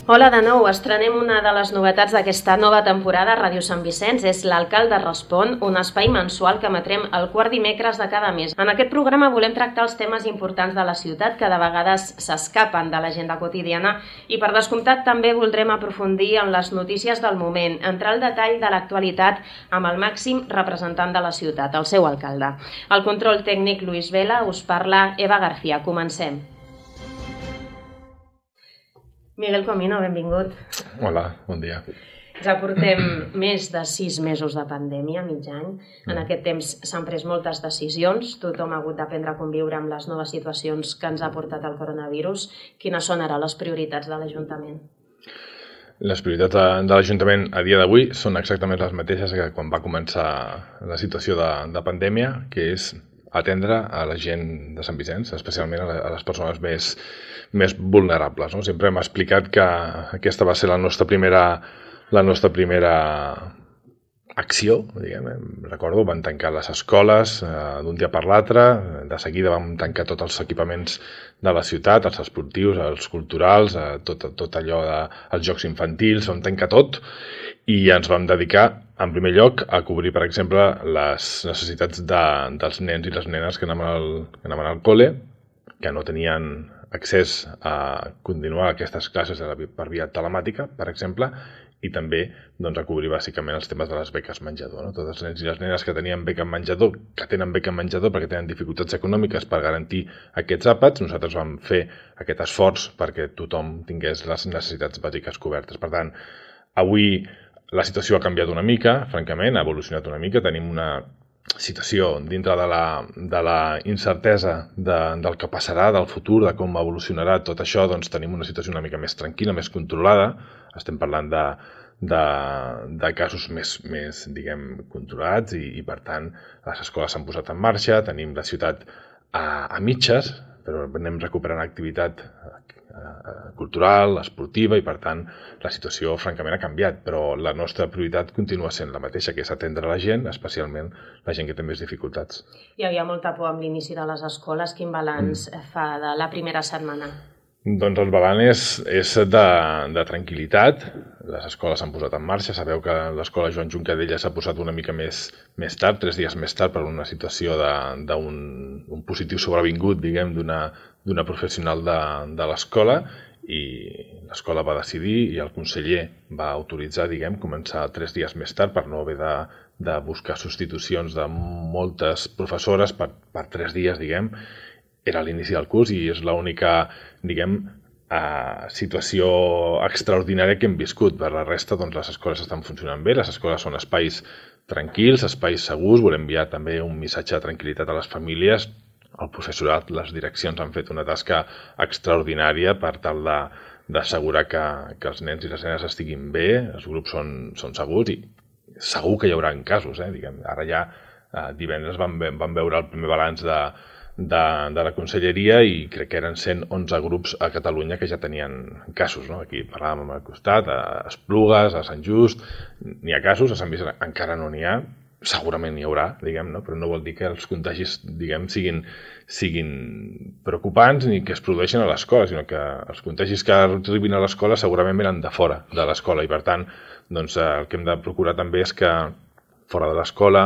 Hola de nou, estrenem una de les novetats d'aquesta nova temporada a Ràdio Sant Vicenç, és l'Alcalde Respon, un espai mensual que emetrem el quart dimecres de cada mes. En aquest programa volem tractar els temes importants de la ciutat que de vegades s'escapen de l'agenda quotidiana i per descomptat també voldrem aprofundir en les notícies del moment, entrar al detall de l'actualitat amb el màxim representant de la ciutat, el seu alcalde. Al control tècnic Luis Vela, us parla Eva García. Comencem. Miguel Comino, benvingut. Hola, bon dia. Ja portem més de 6 mesos de pandèmia, mig any. En aquest temps s'han pres moltes decisions. Tothom ha hagut d'aprendre a conviure amb les noves situacions que ens ha portat el coronavirus. Quines són ara les prioritats de l'Ajuntament? Les prioritats de l'Ajuntament a dia d'avui són exactament les mateixes que quan va començar la situació de pandèmia, que és atendre a la gent de Sant Vicenç, especialment a les persones més vulnerables. No? Sempre hem explicat que aquesta va ser la nostra primera acció, diguem. Recordo, van tancar les escoles d'un dia per l'altre, de seguida vam tancar tots els equipaments de la ciutat, els esportius, els culturals, tot allò dels jocs infantils, vam tancar tot i ens vam dedicar, en primer lloc, a cobrir, per exemple, les necessitats dels nens i les nenes que anaven al col·le, que no tenien accés a continuar aquestes classes per via telemàtica, per exemple, i també a cobrir bàsicament els temes de les beques menjador. No? Tots els nens i les nenes que tenien beca menjador, que tenen beca menjador perquè tenen dificultats econòmiques per garantir aquests àpats, nosaltres vam fer aquest esforç perquè tothom tingués les necessitats bàsiques cobertes. Per tant, avui la situació ha canviat una mica, francament, ha evolucionat una mica, tenim una situació dintre de la incertesa del que passarà, del futur, de com evolucionarà tot això, doncs tenim una situació una mica més tranquil·la, més controlada. Estem parlant de casos més diguem, controlats i per tant, les escoles s'han posat en marxa, tenim la ciutat a mitges, però anem recuperant activitat cultural, esportiva i per tant la situació francament ha canviat, però la nostra prioritat continua sent la mateixa, que és atendre la gent, especialment la gent que té més dificultats. Hi havia molta por amb l'inici de les escoles. Quin balanç fa de la primera setmana? Doncs el balanç és de tranquil·litat. Les escoles s'han posat en marxa. Sabeu que l'escola Joan Juncadella s'ha posat una mica més tard, 3 dies més tard, per una situació d'un positiu sobrevingut, diguem, d'una professional de l'escola, i l'escola va decidir i el conseller va autoritzar, diguem, començar 3 dies més tard per no haver de buscar substitucions de moltes professores per 3 dies, diguem. Era l'inici del curs i és l'única, diguem, situació extraordinària que hem viscut. Per la resta, doncs, les escoles estan funcionant bé, les escoles són espais tranquils, espais segurs. Volem enviar també un missatge de tranquil·litat a les famílies. El professorat, les direccions han fet una tasca extraordinària per tal d'assegurar que els nens i les nenes estiguin bé, els grups són segurs i segur que hi haurà casos. Diguem. Ara ja divendres vam veure el primer balanç de la conselleria i crec que eren 111 grups a Catalunya que ja tenien casos. No? Aquí parlàvem al costat, a Esplugues, a Sant Just, n'hi ha casos, a Sant Vicenç encara no n'hi ha, segurament n'hi haurà, diguem, no? Però no vol dir que els contagis, diguem, siguin preocupants ni que es produeixin a l'escola, sinó que els contagis que arribin a l'escola segurament venen de fora de l'escola i per tant doncs, el que hem de procurar també és que fora de l'escola,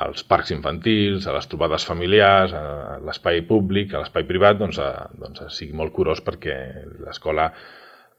als parcs infantils, a les trobades familiars, a l'espai públic, a l'espai privat, doncs sigui molt curós perquè l'escola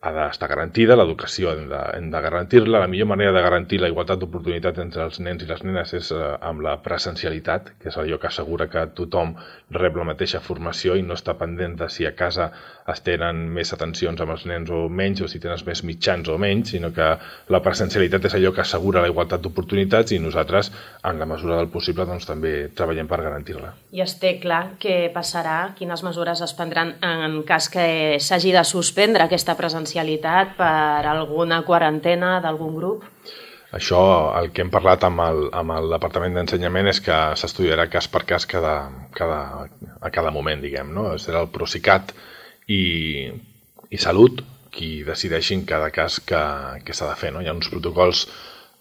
ha d'estar garantida, l'educació hem de garantir-la. La millor manera de garantir la igualtat d'oportunitats entre els nens i les nenes és amb la presencialitat, que és allò que assegura que tothom rep la mateixa formació i no està pendent de si a casa es tenen més atencions amb els nens o menys, o si tens més mitjans o menys, sinó que la presencialitat és allò que assegura la igualtat d'oportunitats i nosaltres, en la mesura del possible, doncs, també treballem per garantir-la. I es té clar què passarà, quines mesures es prendran en cas que s'hagi de suspendre aquesta presencialitat per alguna quarantena d'algun grup? Això, el que hem parlat amb el Departament d'Ensenyament és que s'estudiarà cas per cas a cada moment, diguem, no? Serà el Procicat i Salut qui decideixin cada cas que s'ha de fer, no? Hi ha uns protocols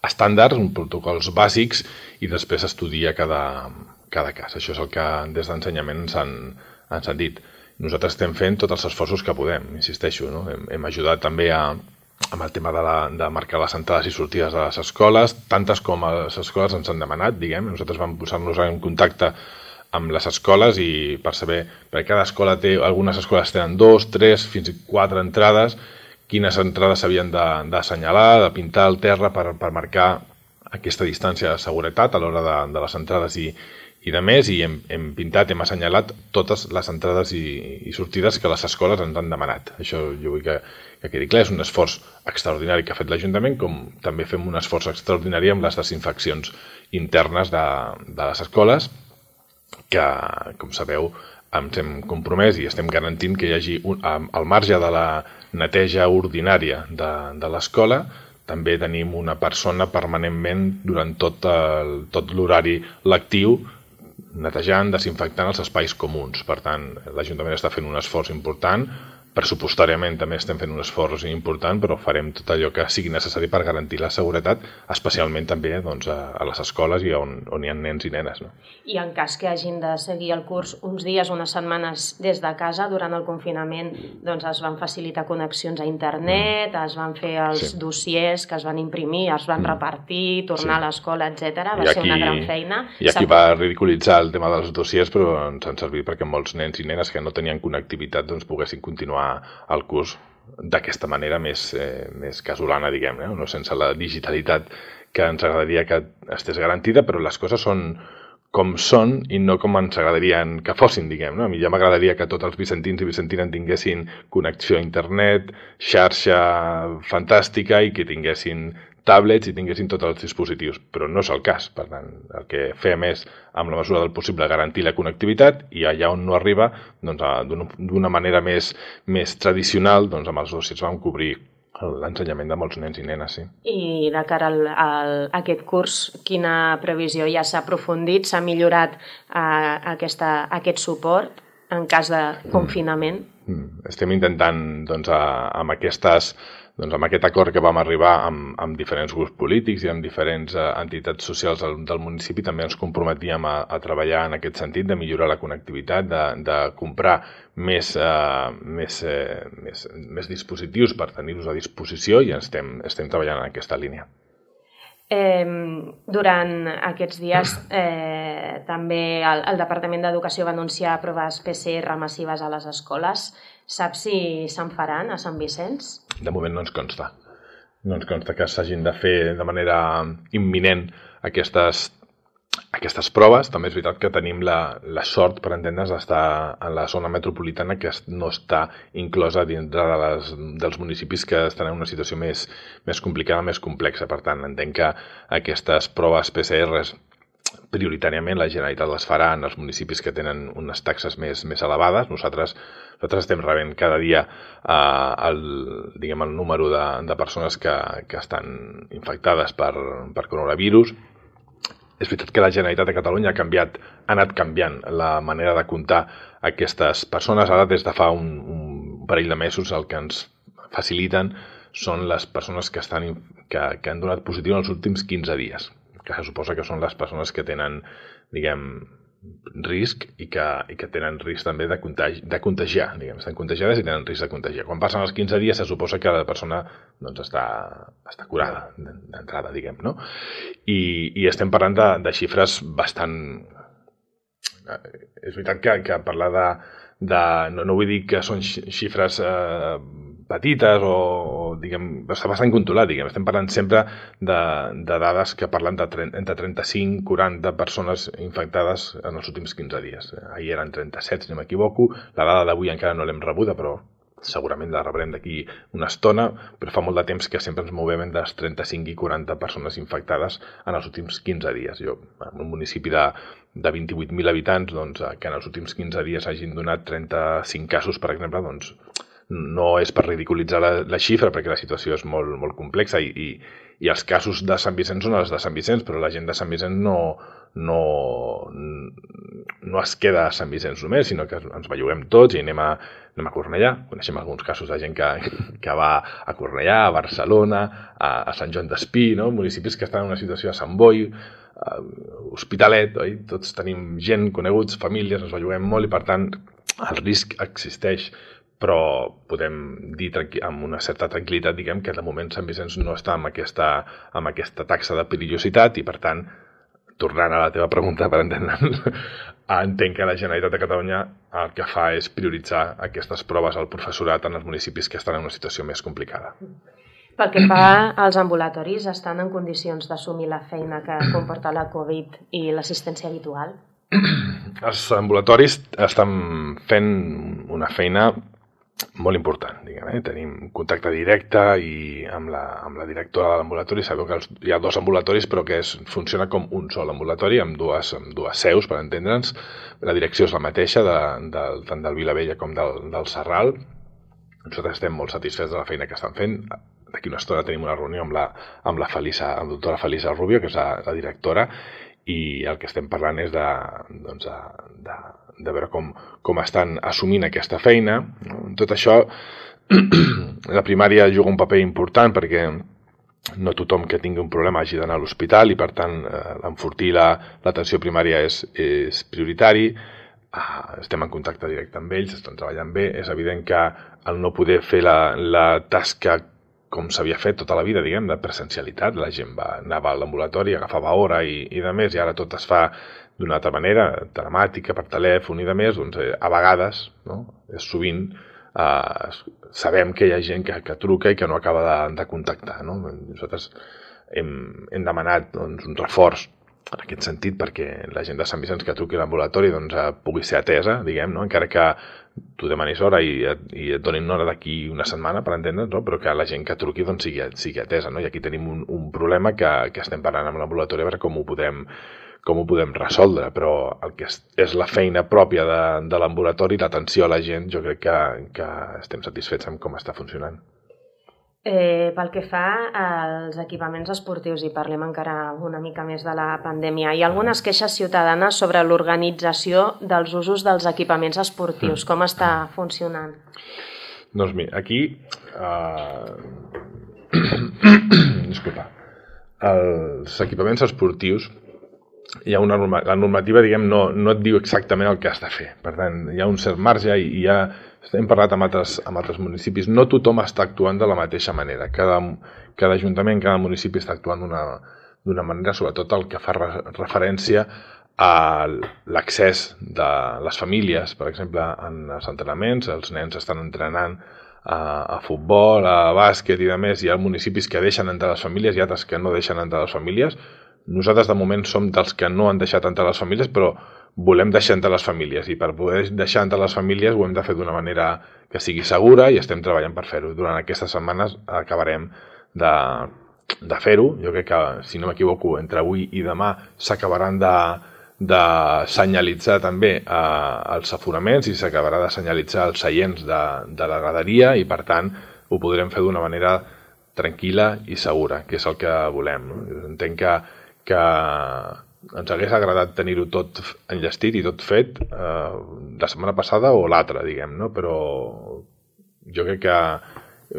estàndards, uns protocols bàsics i després estudia cada cas. Això és el que des d'Ensenyament ens han dit. Nosaltres estem fent tots els esforços que podem, insisteixo, no? Hem ajudat també a amb el tema de marcar les entrades i sortides de les escoles, tantes com les escoles ens han demanat, diguem. Nosaltres vam posar-nos en contacte amb les escoles i per saber, perquè cada escola té, algunes escoles tenen 2, 3, fins i 4 entrades, quines entrades s'havien d'assenyalar, de pintar el terra per marcar aquesta distància de seguretat a l'hora de les entrades i de més, i hem pintat, hem assenyalat totes les entrades i sortides que les escoles ens han demanat. Això jo vull que quedi clar, és un esforç extraordinari que ha fet l'Ajuntament, com també fem un esforç extraordinari amb les desinfeccions internes de les escoles, que, com sabeu, ens hem compromès i estem garantint que hi hagi, al marge de la neteja ordinària de l'escola, també tenim una persona permanentment durant tot l'horari lectiu netejant, desinfectant els espais comuns. Per tant, l'Ajuntament està fent un esforç important, pressupostàriament també estem fent un esforç important, però farem tot allò que sigui necessari per garantir la seguretat, especialment també doncs, a les escoles i on hi ha nens i nenes. No? I en cas que hagin de seguir el curs uns dies, unes setmanes des de casa, durant el confinament doncs es van facilitar connexions a internet, es van fer els dossiers que es van imprimir, es van repartir, tornar a l'escola, etc. Va ser una gran feina. I aquí va ridiculitzar el tema dels dossiers, però ens han servit perquè molts nens i nenes que no tenien connectivitat doncs, poguessin continuar el curs d'aquesta manera més casolana, diguem, no sense la digitalitat que ens agradaria que estés garantida, però les coses són com són i no com ens agradarien que fossin, diguem. No? A mi ja m'agradaria que tots els vicentins i vicentines tinguessin connexió a internet, xarxa fantàstica i que tinguessin tablets i tinguessin tots els dispositius, però no és el cas. Per tant, el que fem és, amb la mesura del possible, garantir la connectivitat i allà on no arriba, doncs, d'una manera més tradicional, doncs, amb els dossiers vam cobrir l'ensenyament de molts nens i nenes. Sí. I de cara a aquest curs, quina previsió? Ja s'ha aprofundit, s'ha millorat aquest suport en cas de confinament? Estem intentant, doncs, amb aquest acord que vam arribar amb diferents grups polítics i amb diferents entitats socials del municipi, també ens comprometíem a treballar en aquest sentit, de millorar la connectivitat, de comprar més dispositius per tenir-los a disposició i estem treballant en aquesta línia. Durant aquests dies també el Departament d'Educació va anunciar proves PCR massives a les escoles. Saps si se'n faran a Sant Vicenç? De moment no ens consta. No ens consta que s'hagin de fer de manera imminent aquestes proves. També és veritat que tenim la sort, per entendre's, d'estar en la zona metropolitana, que no està inclosa dintre dels municipis que estan en una situació més complicada, més complexa. Per tant, entenc que aquestes proves PCRs prioritàriament la Generalitat les farà en els municipis que tenen unes taxes més elevades. Nosaltres estem rebent cada dia el número de persones que estan infectades per coronavirus. És veritat que la Generalitat de Catalunya ha anat canviant la manera de comptar aquestes persones. Ara, des de fa un parell de mesos, el que ens faciliten són les persones que han donat positiu en els últims 15 dies, que se suposa que són les persones que tenen, risc i que tenen risc també de contagiar, estan contagiades i tenen risc de contagiar. Quan passen els 15 dies se suposa que la persona està curada d'entrada, no? I estem parlant de xifres bastant... És veritat que parlar no vull dir que són xifres petites o està bastant controlat, estem parlant sempre de dades que parlen entre 35 i 40 persones infectades en els últims 15 dies. Ahir eren 37, si no m'equivoco, la dada d'avui encara no l'hem rebuda, però segurament la rebrem d'aquí una estona, però fa molt de temps que sempre ens movem entre les 35 i 40 persones infectades en els últims 15 dies. Jo, en un municipi de 28.000 habitants, que en els últims 15 dies hagin donat 35 casos, per exemple, no és per ridiculitzar la xifra, perquè la situació és molt, molt complexa i els casos de Sant Vicenç són els de Sant Vicenç, però la gent de Sant Vicenç no es queda a Sant Vicenç només, sinó que ens belluguem tots i anem a Cornellà. Coneixem alguns casos de gent que va a Cornellà, a Barcelona, a Sant Joan d'Espí, municipis que estan en una situació a Sant Boi, Hospitalet, oi? Tots tenim gent, coneguts, famílies, ens belluguem molt i per tant el risc existeix. però podem dir amb una certa tranquil·litat, diguem, que de moment Sant Vicenç no està amb aquesta taxa de perillositat i, per tant, tornant a la teva pregunta, per entendre'ns, entenc que la Generalitat de Catalunya el que fa és prioritzar aquestes proves al professorat en els municipis que estan en una situació més complicada. Pel que fa als ambulatoris, estan en condicions d'assumir la feina que comporta la Covid i l'assistència habitual? Els ambulatoris estan fent una feina molt important, diguem. Tenim contacte directe i amb la directora de l'ambulatori. Sabeu que hi ha 2 ambulatoris, però que funciona com un sol ambulatori, amb dues seus, per entendre'ns. La direcció és la mateixa, tant del Vilavella com del Serral. Nosaltres estem molt satisfets de la feina que estan fent. D'aquí una estona tenim una reunió amb la doctora Felisa Rubio, que és la directora, i el que estem parlant és de veure com estan assumint aquesta feina. Tot això, la primària juga un paper important perquè no tothom que tingui un problema hagi d'anar a l'hospital i, per tant, enfortir l'atenció primària és prioritari. Estem en contacte directe amb ells, estan treballant bé. És evident que al no poder fer la tasca com s'havia fet tota la vida, diguem, de presencialitat, la gent anava a l'ambulatori, agafava hora i de més, i ara tot es fa d'una altra manera, telemàtica, per telèfon i de més, doncs a vegades, sovint, sabem que hi ha gent que truca i que no acaba de contactar. Nosaltres hem demanat un reforç en aquest sentit perquè la gent de Sant Vicenç que truqui a l'ambulatori pugui ser atesa, diguem, encara que tu demanis hora i et donin hora d'aquí una setmana, per entendre'ns, però que la gent que truqui sigui atesa. I aquí tenim un problema que estem parlant amb l'ambulatori a veure com ho podem resoldre, però el que és la feina pròpia de l'ambulatori, l'atenció a la gent, jo crec que estem satisfets amb com està funcionant. Pel que fa als equipaments esportius, i parlem encara una mica més de la pandèmia, hi ha algunes queixes ciutadanes sobre l'organització dels usos dels equipaments esportius. Com està funcionant? Doncs mira, aquí... Disculpa. Els equipaments esportius, hi ha la normativa, diguem, no et diu exactament el que has de fer. Per tant, hi ha un cert marge i hem parlat amb altres municipis. No tothom està actuant de la mateixa manera. Cada ajuntament, cada municipi està actuant d'una manera, sobretot el que fa referència a l'accés de les famílies. Per exemple, en els entrenaments, els nens estan entrenant a futbol, a bàsquet i de més. Hi ha municipis que deixen entrar les famílies i altres que no deixen entrar les famílies. Nosaltres, de moment, som dels que no han deixat entrar les famílies, però volem deixar entrar les famílies, i per poder deixar entrar les famílies ho hem de fer d'una manera que sigui segura i estem treballant per fer-ho. Durant aquestes setmanes acabarem de fer-ho. Jo crec que, si no m'equivoco, entre avui i demà s'acabaran de senyalitzar també els aforaments i s'acabarà de senyalitzar els seients de la graderia i, per tant, ho podrem fer d'una manera tranquil·la i segura, que és el que volem. Entenc que ens hagués agradat tenir-ho tot enllestit i tot fet la setmana passada o l'altra, diguem, però jo crec que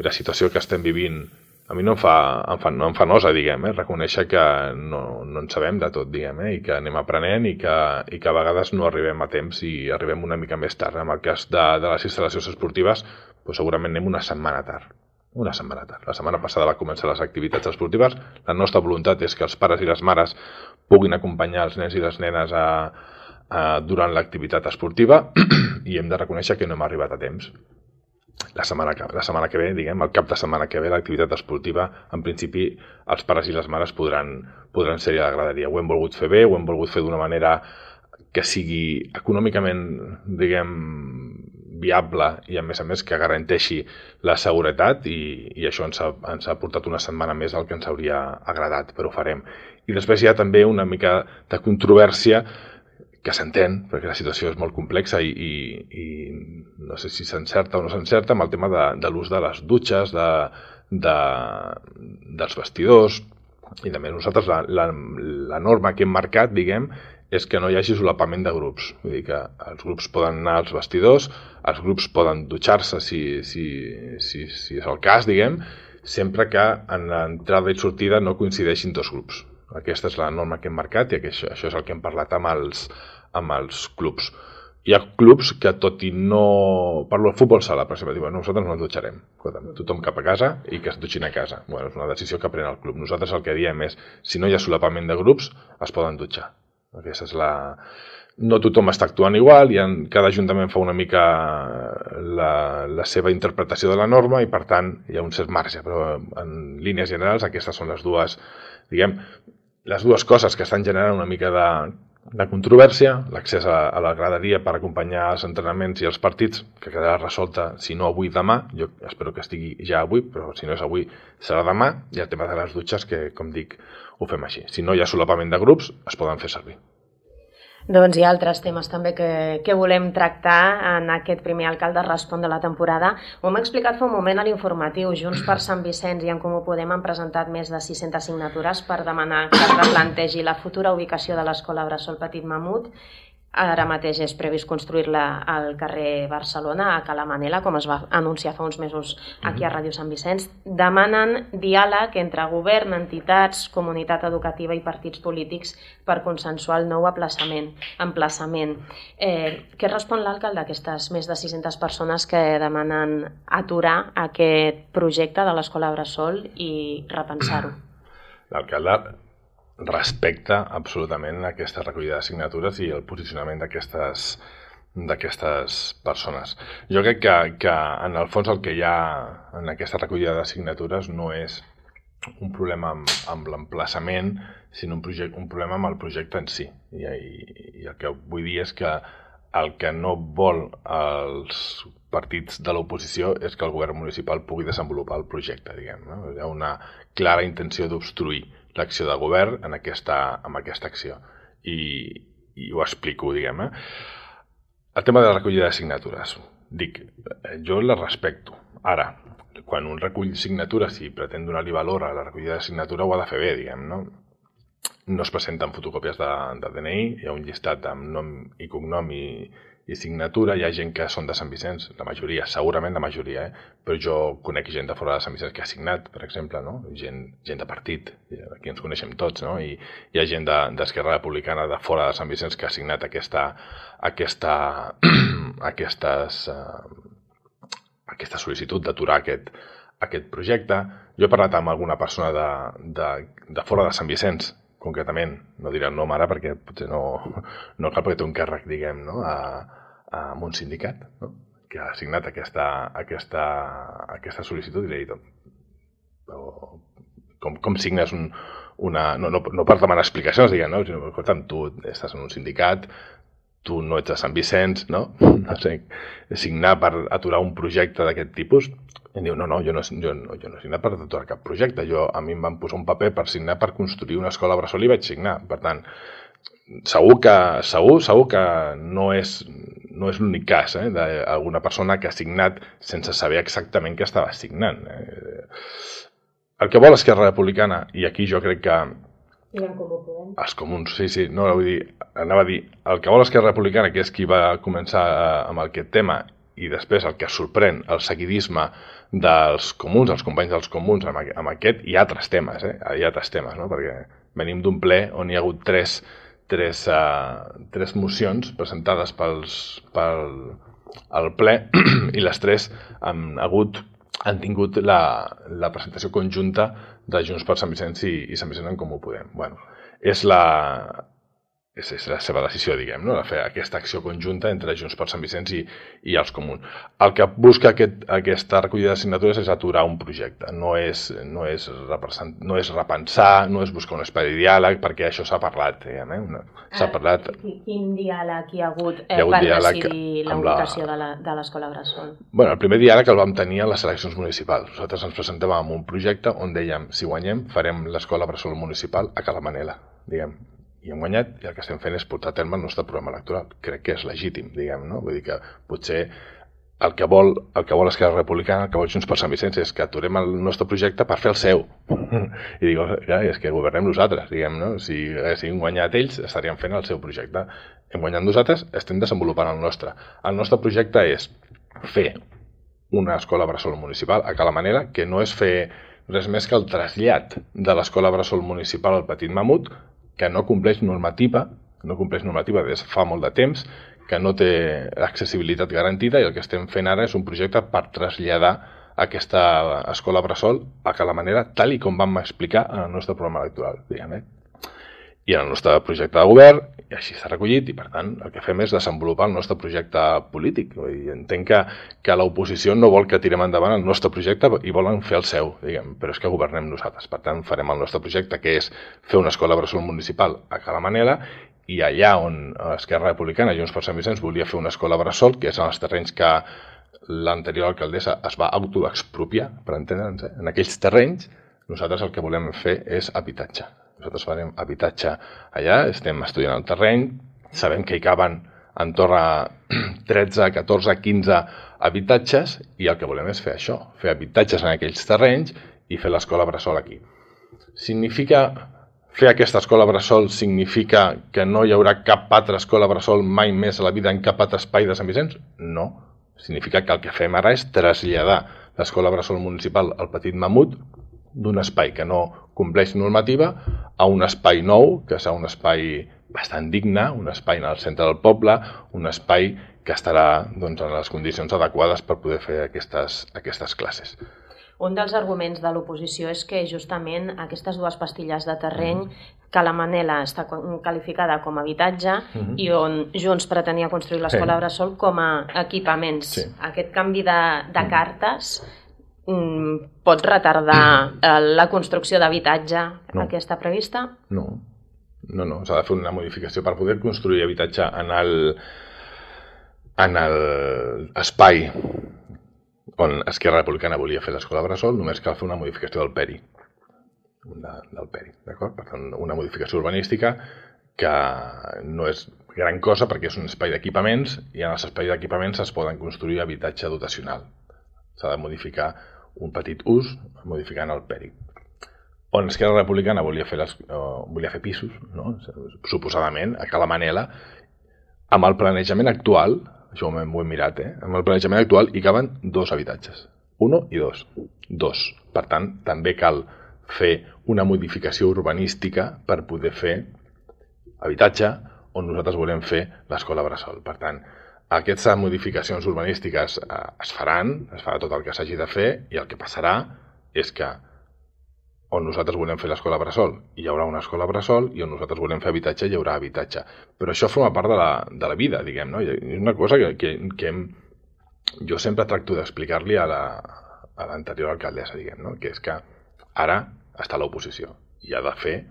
la situació que estem vivint a mi no em fa nosa, diguem, reconèixer que no en sabem de tot, diguem, i que anem aprenent i que a vegades no arribem a temps i arribem una mica més tard. En el cas de les instal·lacions esportives, segurament anem una setmana tard. La setmana passada va començar les activitats esportives. La nostra voluntat és que els pares i les mares puguin acompanyar els nens i les nenes durant l'activitat esportiva i hem de reconèixer que no hem arribat a temps. La setmana que ve, diguem, el cap de setmana que ve, l'activitat esportiva, en principi, els pares i les mares podran ser a la graderia. Ho hem volgut fer bé, ho hem volgut fer d'una manera que sigui econòmicament, diguem, viable i, a més, que garanteixi la seguretat i això ens ha portat una setmana més del que ens hauria agradat, però ho farem. I després hi ha també una mica de controvèrsia que s'entén, perquè la situació és molt complexa i no sé si s'encerta o no s'encerta amb el tema de l'ús de les dutxes, dels vestidors i també nosaltres la norma que hem marcat, diguem, és que no hi hagi solapament de grups. Vull dir que els grups poden anar als vestidors, els grups poden dutxar-se si és el cas, diguem, sempre que en l'entrada i sortida no coincideixin dos grups. Aquesta és la norma que hem marcat i això és el que hem parlat amb els clubs. hi ha clubs que, tot i no... Parlo del futbol sala, per exemple, diuen, nosaltres no ens dutxarem. Tothom cap a casa i que es dutxin a casa. Bueno, és una decisió que pren el club. Nosaltres el que diem és, si no hi ha solapament de grups, es poden dutxar. Aquesta és la... No tothom està actuant igual, cada ajuntament fa una mica la seva interpretació de la norma i, per tant, hi ha un cert marge, però en línies generals aquestes són les dues coses que estan generant una mica de controvèrsia, l'accés a la graderia per acompanyar els entrenaments i els partits, que quedarà resolta, si no avui, demà. Jo espero que estigui ja avui, però si no és avui, serà demà. I el tema de les dutxes, que, com dic, ho fem així. Si no hi ha solapament de grups, es poden fer servir. Doncs hi ha altres temes també que volem tractar en aquest primer Alcalde Respon de la temporada. Ho hem explicat fa un moment a l'informatiu. Junts per Sant Vicenç i En Comú Podem han presentat més de 600 signatures per demanar que es replantegi la futura ubicació de l'escola Bressol Petit Mamut. Ara mateix és previst construir-la al carrer Barcelona, a Cala Manela, com es va anunciar fa uns mesos aquí a Ràdio Sant Vicenç. Demanen diàleg entre govern, entitats, comunitat educativa i partits polítics per consensuar el nou emplaçament. Què respon l'alcalde a aquestes més de 600 persones que demanen aturar aquest projecte de l'escola Bressol i repensar-ho? L'alcalde respecta absolutament aquesta recollida de signatures i el posicionament d'aquestes persones. Jo crec que en el fons el que hi ha en aquesta recollida de signatures no és un problema amb l'emplaçament, sinó un problema amb el projecte en si. I el que vull dir és que el que no vol els partits de l'oposició és que el govern municipal pugui desenvolupar el projecte, diguem, no? Hi ha una clara intenció d'obstruir l'acció de govern amb aquesta acció. I ho explico, diguem. El tema de la recollida de signatures. Dic, jo la respecto. Ara, quan un recull signatures i pretén donar-li valor a la recollida de signatura, ho ha de fer bé, diguem, no? No es presenten fotocòpies de DNI, hi ha un llistat amb nom i cognom i signatura. Hi ha gent que són de Sant Vicenç, la majoria, segurament la majoria, però jo conec gent de fora de Sant Vicenç que ha signat, per exemple, no? Gent de partit, aquí ens coneixem tots, no? I hi ha gent d'Esquerra Republicana de fora de Sant Vicenç que ha signat aquesta sol·licitud d'aturar aquest projecte. Jo he parlat amb alguna persona de fora de Sant Vicenç, concretament, no diré el nom ara perquè potser no cal, perquè té un càrrec, diguem, no? amb un sindicat, no? Que ha signat aquesta sol·licitud, i li he dit, com signes no per demanar explicacions, diguem, no? Sinó, escolta'm, tu estàs en un sindicat, tu no ets de Sant Vicenç, no? No sé, signar per aturar un projecte d'aquest tipus. I em diu, no, jo no he signat per aturar cap projecte. A mi em van posar un paper per signar per construir una escola Bressol i vaig signar. Per tant, segur que no és l'únic cas d'alguna persona que ha signat sense saber exactament què estava signant. El que vol Esquerra Republicana, i aquí jo crec que els comuns, sí, no, anava a dir, el que vol Esquerra Republicana, que és qui va començar amb aquest tema, i després el que sorprèn, el seguidisme dels comuns, els companys dels comuns amb aquest, hi ha altres temes, no? Perquè venim d'un ple on hi ha hagut tres mocions presentades pel ple i les tres han tingut la presentació conjunta de Junts per Sant Vicenç i Sant Vicenç en Comú Podem. Bueno, és la seva decisió, diguem, no? De fer aquesta acció conjunta entre Junts per Sant Vicenç i els comuns. El que busca aquesta recollida de signatures és aturar un projecte, no és repensar, no és buscar un espai de diàleg, perquè això s'ha parlat, diguem, s'ha parlat. Quin diàleg hi ha hagut per decidir la ubicació de l'escola Bressol? Bueno, el primer diàleg el vam tenir a les eleccions municipals. Nosaltres ens presentàvem amb un projecte on dèiem, si guanyem, farem l'escola Bressol municipal a Cala Manela, diguem. I hem guanyat, i el que estem fent és portar a terme el nostre programa electoral. Crec que és legítim, diguem, no? Vull dir que potser el que vol Esquerra Republicana, el que vol Junts per Sant Vicenç, és que aturem el nostre projecte per fer el seu. I dic, és que governem nosaltres, diguem, no? Si haguéssim guanyat ells, estaríem fent el seu projecte. Hem guanyat nosaltres, estem desenvolupant el nostre. El nostre projecte és fer una escola Bressol municipal a Cala Manela, que no és fer res més que el trasllat de l'escola Bressol municipal al Petit Mamut, que no compleix normativa des de fa molt de temps, que no té accessibilitat garantida i el que estem fent ara és un projecte per traslladar aquesta escola bressol a Cala Manera, tal i com vam explicar en el nostre programa electoral, diguem, i en el nostre projecte de govern, i així s'ha recollit, i per tant el que fem és desenvolupar el nostre projecte polític. I entenc que l'oposició no vol que tirem endavant el nostre projecte i volen fer el seu, diguem, però és que governem nosaltres. Per tant, farem el nostre projecte, que és fer una escola bressol municipal a Cala Manera, i allà on Esquerra Republicana, Junts per Sant Vicenç, volia fer una escola bressol, que és en els terrenys que l'anterior alcaldessa es va autoexpropiar, per entendre'ns, en aquells terrenys, nosaltres el que volem fer és habitatge. Nosaltres farem habitatge allà, estem estudiant el terreny, sabem que hi caben entorn a 13, 14, 15 habitatges i el que volem és fer això, fer habitatges en aquells terrenys i fer l'escola bressol aquí. Fer aquesta escola bressol significa que no hi haurà cap altra escola bressol mai més a la vida en cap altre espai de Sant Vicenç? No. Significa que el que fem ara és traslladar l'escola bressol municipal al Petit Mamut d'un espai que no compleix normativa a un espai nou, que serà un espai bastant digne, un espai en el centre del poble, un espai que estarà en les condicions adequades per poder fer aquestes classes. Un dels arguments de l'oposició és que justament aquestes dues pastilles de terreny, Cala Manera està qualificada com a habitatge i on Junts pretenia construir l'escola bressol com a equipaments. Sí. Aquest canvi de cartes pot retardar la construcció d'habitatge aquesta prevista? No, s'ha de fer una modificació per poder construir habitatge en l'espai on Esquerra Republicana volia fer l'escola bressol, només cal fer una modificació del PERI. D'acord? Per tant, una modificació urbanística que no és gran cosa perquè és un espai d'equipaments i en els espais d'equipaments es poden construir habitatge dotacional. S'ha de modificar un petit ús modificant el PERI. On Esquerra Republicana volia fer pisos, suposadament, a Cala Manera, amb el planejament actual, això ho hem mirat, amb el planejament actual hi caben 2 habitatges, 1 i 2. 2. Per tant, també cal fer una modificació urbanística per poder fer habitatge on nosaltres volem fer l'escola bressol. Per tant, aquestes modificacions urbanístiques es farà tot el que s'hagi de fer i el que passarà és que on nosaltres volem fer l'escola bressol hi haurà una escola bressol i on nosaltres volem fer habitatge hi haurà habitatge. Però això forma part de la vida, diguem, no? És una cosa que jo sempre tracto d'explicar-li a l'anterior alcaldessa, diguem, no? Que és que ara està a l'oposició i ha de fer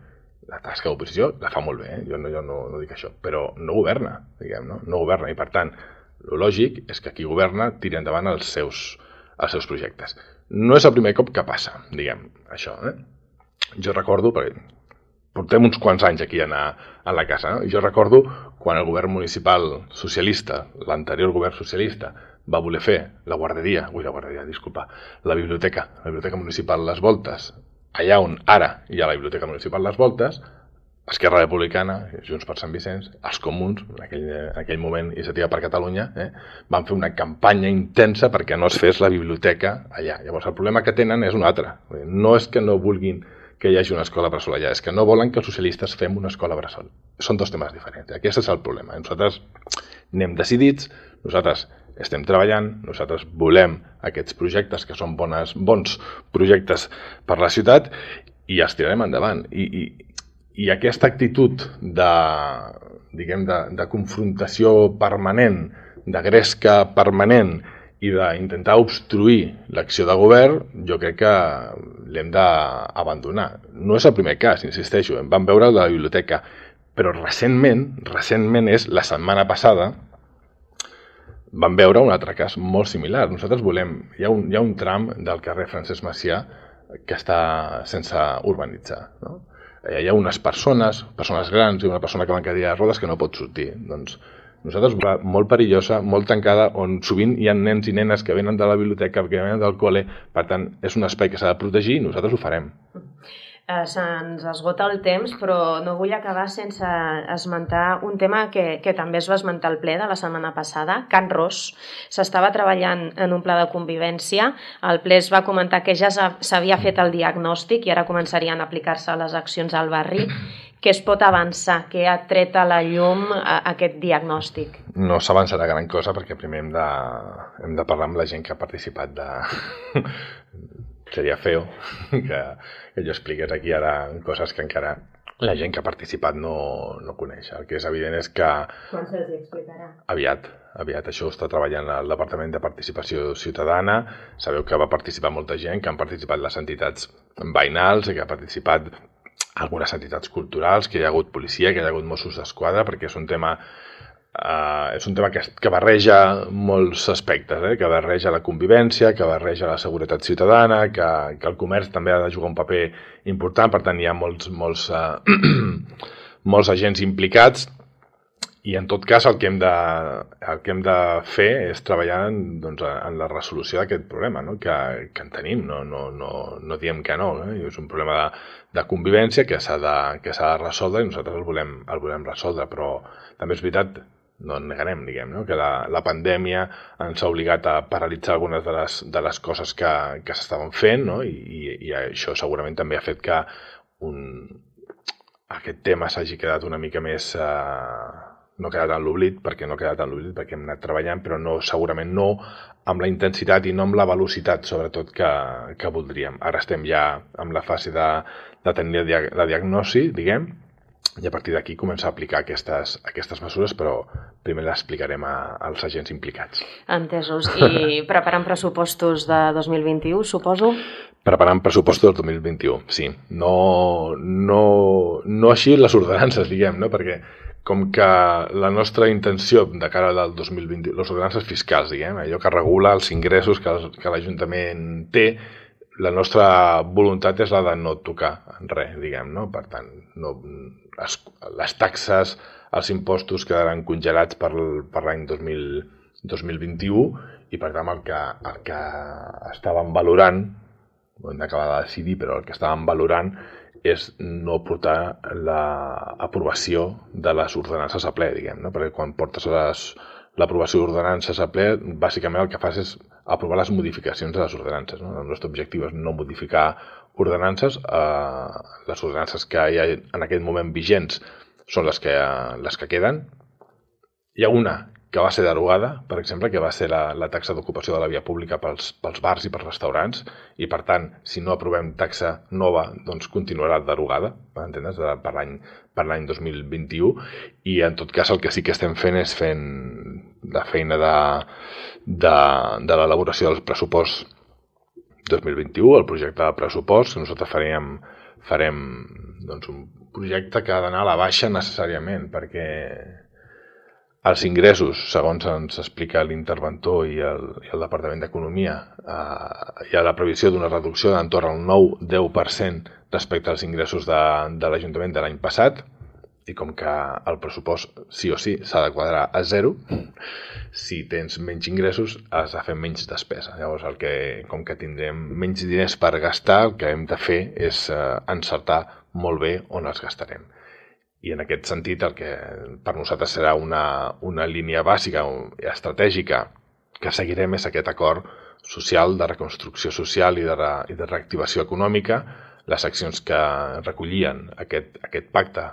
la tasca d'oposició, la fa molt bé, jo no dic això, però no governa, diguem, no governa i per tant, el lògic és que qui governa tiri endavant els seus projectes. No és el primer cop que passa, diguem, això. Jo recordo, perquè portem uns quants anys aquí a la casa, jo recordo quan el govern municipal socialista, l'anterior govern socialista, va voler fer la biblioteca municipal Les Voltes, allà on ara hi ha la biblioteca municipal Les Voltes, Esquerra Republicana, Junts per Sant Vicenç, els Comuns, en aquell moment Iniciativa per Catalunya, van fer una campanya intensa perquè no es fes la biblioteca allà. Llavors el problema que tenen és un altre. No és que no vulguin que hi hagi una escola bressol allà, és que no volen que els socialistes fem una escola bressol. Són 2 temes diferents. Aquest és el problema. Nosaltres anem decidits, nosaltres estem treballant, nosaltres volem aquests projectes que són bons projectes per la ciutat i els tirarem endavant. I aquesta actitud de confrontació permanent, de gresca permanent i d'intentar obstruir l'acció de govern, jo crec que l'hem d'abandonar. No és el primer cas, insisteixo, vam veure la biblioteca, però recentment és la setmana passada, vam veure un altre cas molt similar. Nosaltres hi ha un tram del carrer Francesc Macià que està sense urbanitzar, no? Hi ha unes persones grans i una persona que va en cadira de rodes que no pot sortir. Doncs nosaltres, molt perillosa, molt tancada, on sovint hi ha nens i nenes que venen de la biblioteca, que venen del col·le, per tant, és un espai que s'ha de protegir i nosaltres ho farem. Se'ns esgota el temps, però no vull acabar sense esmentar un tema que també es va esmentar al ple de la setmana passada, Can Ros. S'estava treballant en un pla de convivència, el ple es va comentar que ja s'havia fet el diagnòstic i ara començarien a aplicar-se les accions al barri. Què es pot avançar? Què ha tret a la llum aquest diagnòstic? No s'avançarà gran cosa perquè primer hem de parlar amb la gent que ha participat Seria feo que jo expliqués aquí ara coses que encara la gent que ha participat no coneix. El que és evident és que... Quan se'ls explicarà? Aviat. Això ho està treballant el Departament de Participació Ciutadana. Sabeu que va participar molta gent, que han participat les entitats veïnals, que ha participat algunes entitats culturals, que hi ha hagut policia, que hi ha hagut Mossos d'Esquadra, perquè és un tema que barreja molts aspectes, que barreja la convivència, que barreja la seguretat ciutadana, que el comerç també ha de jugar un paper important, per tant hi ha molts agents implicats, i en tot cas el que hem de fer és treballar en la resolució d'aquest problema, que en tenim, no diem que no, és un problema de convivència que s'ha de resoldre i nosaltres el volem resoldre, però també és veritat, no en negarem, que la pandèmia ens ha obligat a paralitzar algunes de les coses que s'estaven fent, i això segurament també ha fet que aquest tema s'hagi quedat una mica més... no ha quedat en l'oblit, perquè hem anat treballant, però segurament no amb la intensitat i no amb la velocitat, sobretot, que voldríem. Ara estem ja en la fase de tenir la diagnosi, i a partir d'aquí començar a aplicar aquestes mesures, però primer les explicarem als agents implicats. Entesos. I preparant pressupostos de 2021, suposo? Preparant pressupostos del 2021, sí. No així les ordenances, perquè com que la nostra intenció de cara al 2020, les ordenances fiscals, allò que regula els ingressos que l'Ajuntament té, la nostra voluntat és la de no tocar en res, Per tant, les taxes, els impostos quedaran congelats per l'any 2021 i, per tant, el que estàvem valorant, ho hem d'acabar de decidir, però el que estàvem valorant és no portar l'aprovació de les ordenances a ple, perquè quan portes l'aprovació d'ordenances a ple, bàsicament el que fas és aprovar les modificacions de les ordenances. El nostre objectiu és no modificar ordenances. Les ordenances que hi ha en aquest moment vigents són les que queden. Hi ha una que va ser derogada, per exemple, que va ser la taxa d'ocupació de la via pública pels bars i pels restaurants, i per tant, si no aprovem taxa nova, doncs continuarà derogada, m'entens, per l'any 2021, i en tot cas el que sí que estem fent és fent la feina de l'elaboració del pressupost 2021, el projecte de pressupost, que nosaltres farem un projecte que ha d'anar a la baixa necessàriament, perquè els ingressos, segons ens explica l'interventor i el Departament d'Economia, hi ha la previsió d'una reducció d'entorn al 9-10% respecte als ingressos de l'Ajuntament de l'any passat, i com que el pressupost sí o sí s'ha de quadrar a zero, si tens menys ingressos has de fer menys despesa. Llavors, com que tindrem menys diners per gastar, el que hem de fer és encertar molt bé on els gastarem. I en aquest sentit, el que per nosaltres serà una línia bàsica i estratègica que seguirem és aquest acord social de reconstrucció social i de reactivació econòmica, les accions que recollien aquest pacte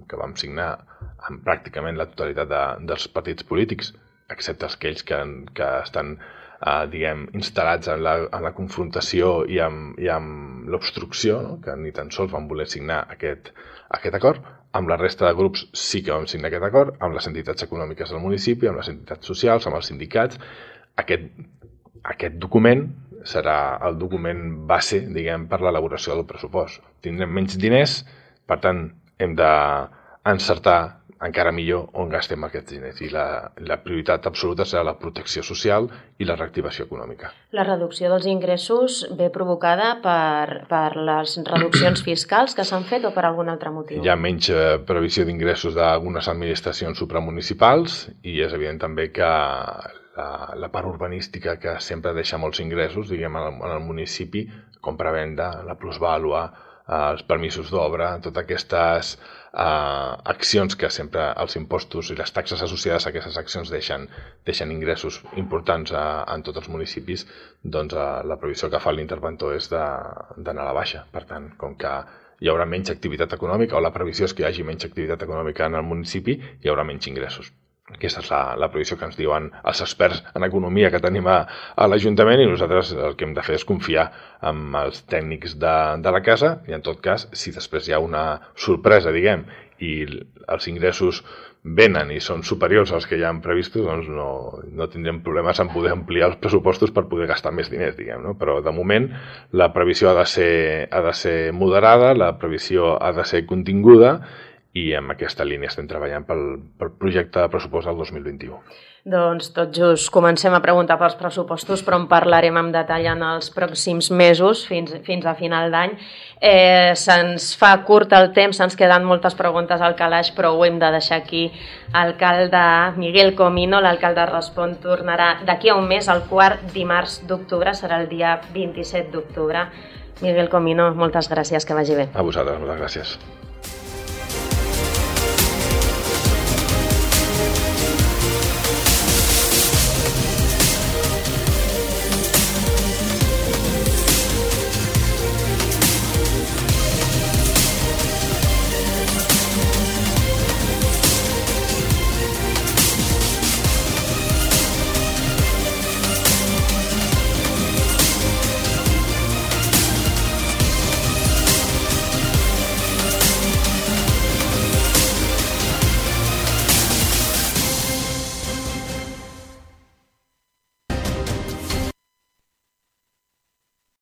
que vam signar amb pràcticament la totalitat dels partits polítics, excepte aquells que estan instal·lats en la confrontació i amb l'obstrucció, que ni tan sols van voler signar aquest acord. Amb la resta de grups sí que vam signar aquest acord, amb les entitats econòmiques del municipi, amb les entitats socials, amb els sindicats. Aquest document serà el document base, per l'elaboració del pressupost. Tindrem menys diners, per tant, hem d'encertar encara millor on gastem aquests diners. I la prioritat absoluta serà la protecció social i la reactivació econòmica. La reducció dels ingressos ve provocada per les reduccions fiscals que s'han fet o per algun altre motiu? Hi ha menys previsió d'ingressos d'algunes administracions supramunicipals i és evident també que la part urbanística que sempre deixa molts ingressos, en el municipi, compra-venda, la plusvàlua, els permisos d'obra, totes aquestes accions que sempre els impostos i les taxes associades a aquestes accions deixen ingressos importants en tots els municipis, doncs la previsió que fa l'interventor és d'anar a la baixa. Per tant, com que hi haurà menys activitat econòmica, o la previsió és que hi hagi menys activitat econòmica en el municipi, hi haurà menys ingressos. Aquesta és la previsió que ens diuen els experts en economia que tenim a l'Ajuntament, i nosaltres el que hem de fer és confiar en els tècnics de la casa, i en tot cas, si després hi ha una sorpresa, diguem, i els ingressos venen i són superiors als que ja han previstos, doncs no tindrem problemes en poder ampliar els pressupostos per poder gastar més diners, diguem, no? Però de moment la previsió ha de ser moderada, la previsió ha de ser continguda, i en aquesta línia estem treballant pel projecte de pressupost del 2021. Doncs tot just comencem a preguntar pels pressupostos, però en parlarem amb detall en els pròxims mesos, fins a final d'any. Se'ns fa curt el temps, se'ns queden moltes preguntes al calaix, però ho hem de deixar aquí. Alcalde Miguel Comino, l'alcalde Respon, tornarà d'aquí a un mes, el quart dimarts d'octubre, serà el dia 27 d'octubre. Miguel Comino, moltes gràcies, que vagi bé. A vosaltres, moltes gràcies.